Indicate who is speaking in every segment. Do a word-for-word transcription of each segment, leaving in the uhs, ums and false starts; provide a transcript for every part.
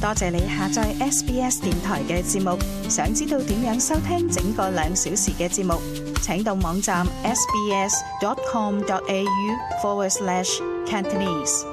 Speaker 1: 多謝你下載 S B S 電台嘅節目。想知道點樣收聽整個兩小時嘅節目，請到網站 sbs.com.au forward slash Cantonese。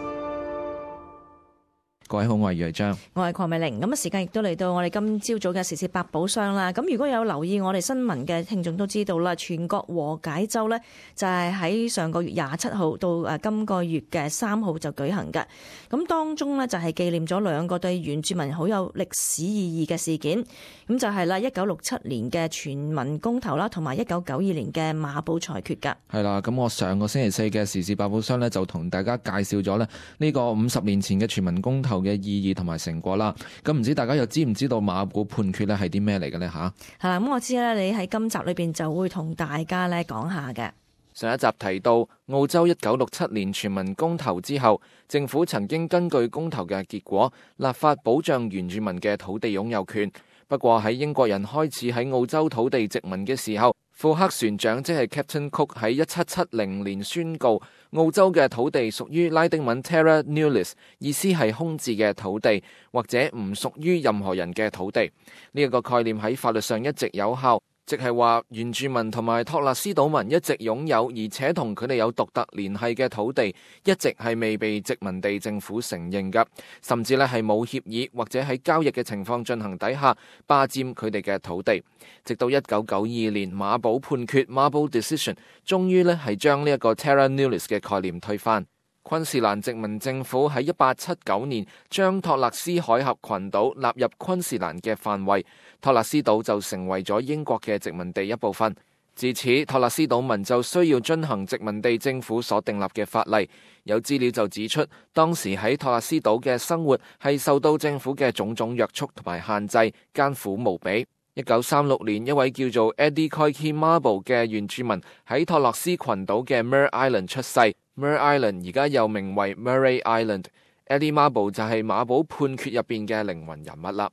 Speaker 2: 各位好，我係余章，
Speaker 3: 我係鄺美玲。咁啊，時間亦都嚟到我哋今朝早嘅時事百寶箱啦。咁如果有留意我哋新聞嘅聽眾都知道啦，全國和解週呢就係喺上個月廿七號到誒今個月嘅三號就舉行嘅。咁當中呢，就係紀念咗兩個對原住民好有歷史意義嘅事件。咁就係啦，一九六七年嘅全民公投啦，同埋一九九二年嘅馬寶裁決㗎。
Speaker 2: 係啦，咁我上個星期四嘅時事百寶箱呢，就同大家介紹咗咧呢個五十年前嘅全民公投嘅意義同埋成果啦。咁唔知大家又知唔知道馬寶判決咧係啲咩嚟嘅呢？吓，
Speaker 3: 係啦，咁我知咧，你喺今集裏邊就會同大家咧講下嘅。
Speaker 2: 上一集提到，澳洲一九六七年全民公投之後，政府曾經根據公投嘅結果，立法保障原住民嘅土地擁有權。不過喺英國人開始喺澳洲土地殖民嘅時候，庫克船長即係 Captain Cook 喺一七七零年宣告，澳洲嘅土地屬於拉丁文 Terra Nullius， 意思係空置嘅土地，或者唔屬於任何人嘅土地。呢一個概念喺法律上一直有效。即係話原住民同埋托勒斯島民一直擁有，而且同佢哋有獨特聯繫嘅土地，一直係未被殖民地政府承認㗎，甚至咧係冇協議或者喺交易嘅情況進行底下霸佔佢哋嘅土地。直到一九九二年馬寶判決 Marble Decision， 終於咧係將呢一個 Terra Nullius 嘅概念推翻。昆士蘭殖民政府喺一八七九年將托勒斯海峽群島納入昆士蘭嘅範圍，托勒斯島就成為咗英國嘅殖民地一部分。自此，托勒斯島民就需要遵行殖民地政府所訂立嘅法例。有資料就指出，當時喺托勒斯島嘅生活係受到政府嘅種種約束同埋限制，艱苦無比。一九三六年，一位叫做 Eddie Koiki Marble 嘅原住民喺托勒斯群島嘅 Mer Island 出世。Mer Island 而家又名為 Murray Island。Eddie Marble 就係馬寶判決入邊嘅靈魂人物啦。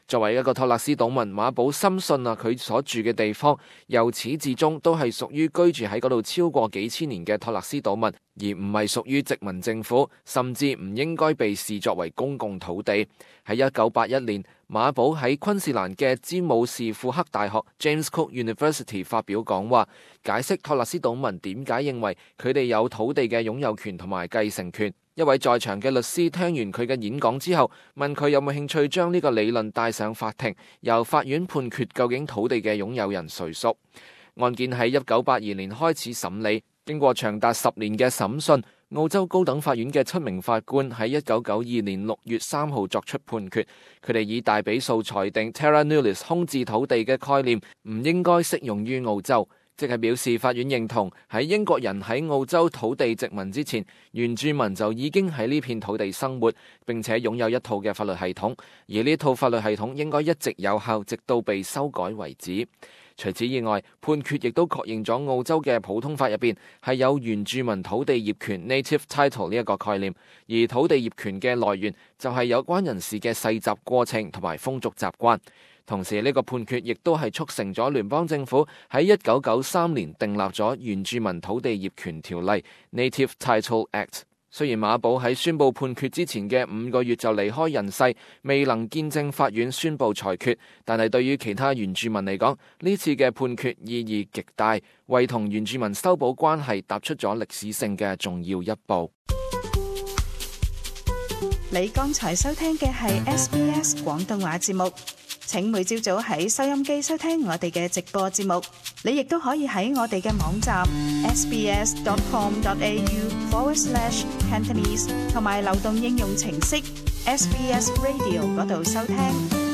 Speaker 2: 作為一個托勒斯島民，馬寶深信啊，佢所住嘅地方由始至終都係屬於居住喺嗰度超過幾千年嘅托勒斯島民，而唔係屬於殖民政府，甚至唔應該被視作為公共土地。喺一九八一年，馬寶喺昆士蘭嘅詹姆士庫克大學 James Cook University 發表講話，解釋托勒斯島民點解認為佢哋有土地嘅擁有權同埋繼承權。一位在場嘅律師聽完佢嘅演講之後，問佢有冇興趣將呢個理論帶上法庭，由法院判決究竟土地嘅擁有人誰屬。案件喺一九八二年開始審理，經過長達十年嘅審訊，澳洲高等法院嘅七名法官喺一九九二年六月三號作出判決，佢哋以大比數裁定 Terra Nullius 空置土地嘅概念唔應該適用於澳洲。即係表示法院認同喺英國人喺澳洲土地殖民之前，原住民就已經喺呢片土地生活，並且擁有一套嘅法律系統，而呢套法律系統應該一直有效，直到被修改為止。除此以外，判決亦都確認咗澳洲嘅普通法入邊係有原住民土地業權 Native Title 呢一個概念，而土地業權嘅來源就係有關人士嘅世襲過程同埋風俗習慣。同時呢個判決亦都係促成咗聯邦政府喺一九九三年訂立咗原住民土地業權條例 Native Title Act。雖然馬寶喺宣布判決之前嘅五個月就離開人世，未能見證法院宣布裁決，但係對於其他原住民嚟講，呢次嘅判決意義極大，為同原住民修補關係踏出咗歷史性嘅重要一步。
Speaker 1: 你剛才收聽嘅係 S B S 廣東話節目。請每朝早喺收音機收聽我哋嘅直播節目，你亦都可以喺我哋嘅網站 sbs.com.au forward slash Cantonese 同埋流動應用程式 S B S Radio 嗰度收聽。